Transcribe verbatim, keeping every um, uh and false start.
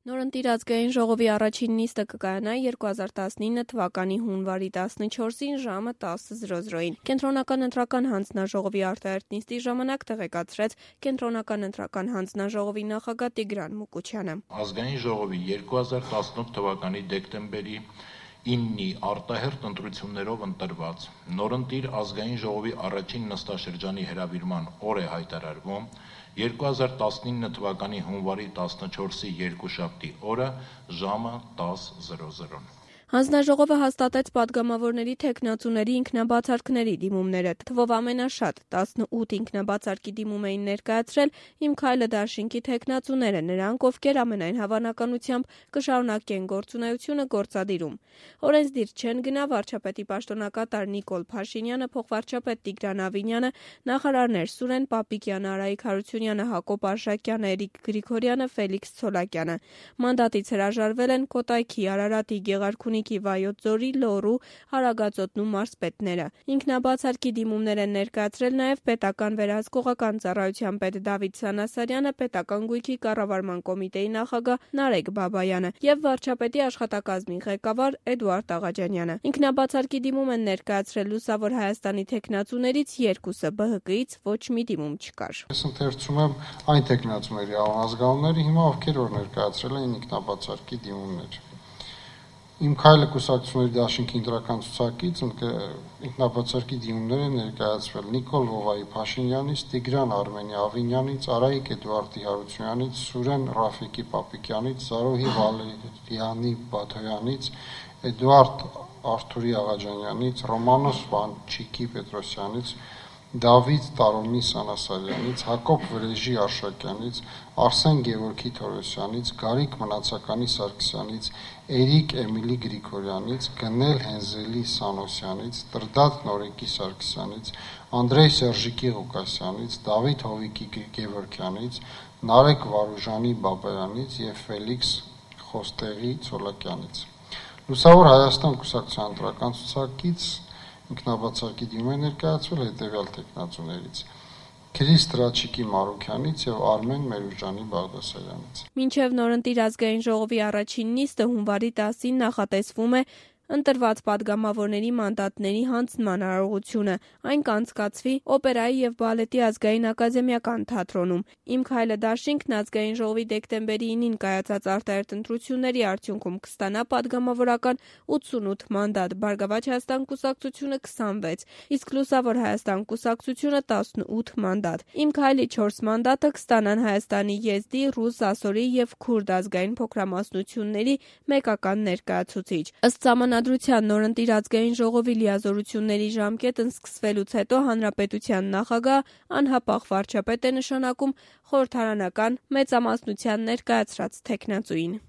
Նորընտիր ազգային ժողովի առաջին նիստը կկայանա երկու հազար տասնինը թվականի հունվարի տասնչորսին ժամը տասը զրո զրոյին։ Կենտրոնական ընտրական հանձնաժողովի արտահերթ նիստի ժամանակ տեղեկացրեց Կենտրոնական ընտրական հանձնաժողովի նախագահ Տիգրան Մուկուչյանը։ Ազգային ժողովի երկու հազար տասնութ թվականի դեկտեմբերի իննի արտահերթ ընտրություններով ընտրված նորընտիր ազգային ժողովի առաջին նստաշրջանի հրավիրման օր է հայտարարվում երկու հազար տասնինը թվականի հունվարի տասնչորսի երկուշաբթի օրը ժամը տասը զրո զրո։ Հանձնաժողովը հաստատեց պատգամավորների թեկնածուների ինքնաբացարկների դիմումները, թվով ամենաշատ տասնութ ինքնաբացարկի դիմում էին ներկայացրել «Իմ քայլը» դաշինքի թեկնածուները, նրանք, ովքեր ամենայն հավանականությամբ կշարունակեն գործունեությունը գործադիրում։ Օրենսդիր չեն գնա վարչապետի պաշտոնակատար Նիկոլ Փաշինյանը, փոխվարչապետ Տիգրան Ավինյանը, նախարարներ Սուրեն Պապիկյանը, Արայիկ Հարությունյանը, Հակոբ Արշակյանը, Էրիկ Գրիգորյանը, Ֆելիքս Ցոլակյանը։ Մանդատից հրաժարվել են Կոտայքի, Արարատի, Գեղարքունիքի, Վայոց ձորի, Լոռու, Հարագածոտնու մարզպետները։ Ինքնաբացարկի դիմումներ են ներկայացրել նաև պետական վերահսկողական ծառայության պետ Դավիթ Սանասարյանը, պետական գույքի կառավարման կոմիտեի նախագահ Նարեկ Բաբայանը եւ վարչապետի աշխատակազմի ղեկավար Էդուարդ Աղաջանյանը։ Ինքնաբացարկի դիմում են ներկայացրել Լուսավոր Հայաստանի թեկնածուներից երկուսը, Բ Հ Կից ոչ մի դիմում չկար։ Ես ընթերցում եմ այն թեկնածուների անազգանունները հիմա ովքեր որ ներկայացրել են ինքնաբացարկի դիմումներ։ Իմ քայլը կուսակցությունների դաշինքի ընտրական ցուցակից ինքնաբացարկի դիմումներ են ներկայացվել Նիկոլ Վովայի Փաշինյանից, Տիգրան Արմենի Ավինյանից, Արայիկ Էդուարդի Հարությունյանից, Սուրեն Ռաֆիկի Պապիկյանից, Զարոհի Վալերյանի Բաթոյանից, Էդուարդ Արթուրի Աղաջանյանից, Ռոմանոս Վանչիկի Պետրոսյանից, Դավիթ Տարոնի Սանասարյանից, Հակոբ Վրեժի Արշակյանից, Արսեն Գևորգի Թորոսյանից, Գարիկ Մնացականի Սարգսյանից, Էրիկ Էմիլի Գրիգորյանից, Գնել Հենզելի Սանոսյանից, Տրդատ Նորեկի Սարգսյանից, Անդրեյ Սերժիկի Ղուկասյանից, Դավիթ Հովիկի Գևորգյանից, Նարեկ Վարուժանի Բաբայանից եւ Ֆելիքս Խոստեղի Ցոլակյանից։ Լուսավոր Հայաստան կուսակցության ընտրական ցուցակից ինքնաբացարկի դիմում է ներկայացվել հետևյալ թեկնածուներից. Քրիստ Ռաչիկի Մարուքյանից եւ Արմեն Մերուժանի Բաղդասարյանից։ Մինչև նորընտիր ազգային ժողովի առաջին նիստը հունվարի տասին նախատեսվում է ընտրված պատգամավորների մանդատների հանձնման արարողությունը։ Այն կանցկացվի Օպերայի եւ բալետի ազգային ակադեմիական թատրոնում։ Իմ քայլը դաշինքն ազգային ժողովի դեկտեմբերի ինին կայացած արտահերթ ընտրությունների արդյունքում կստանա պատգամավորական ութսունութ մանդատ, Բարգավաճ Հայաստան կուսակցությունը քսանվեց, իսկ Լուսավոր Հայաստան կուսակցությունը տասնութ մանդատ։ Իմ քայլի չորս մանդատը կստանան Հայաստանի եզդի, ռուս, ասորի եւ քուրդ ազգային փոքրամասնությունների մեկական ներկայացուցիչ։ Ըստ Սահմանադրության նորընտիր ազգային ժողովի լիազորությունների ժամկետն սկսվելուց հետո հանրապետության նախագահ անհապաղ վարչապետ է նշանակում խորհրդարանական մեծամասնության ներկայացրած թեկնածուին։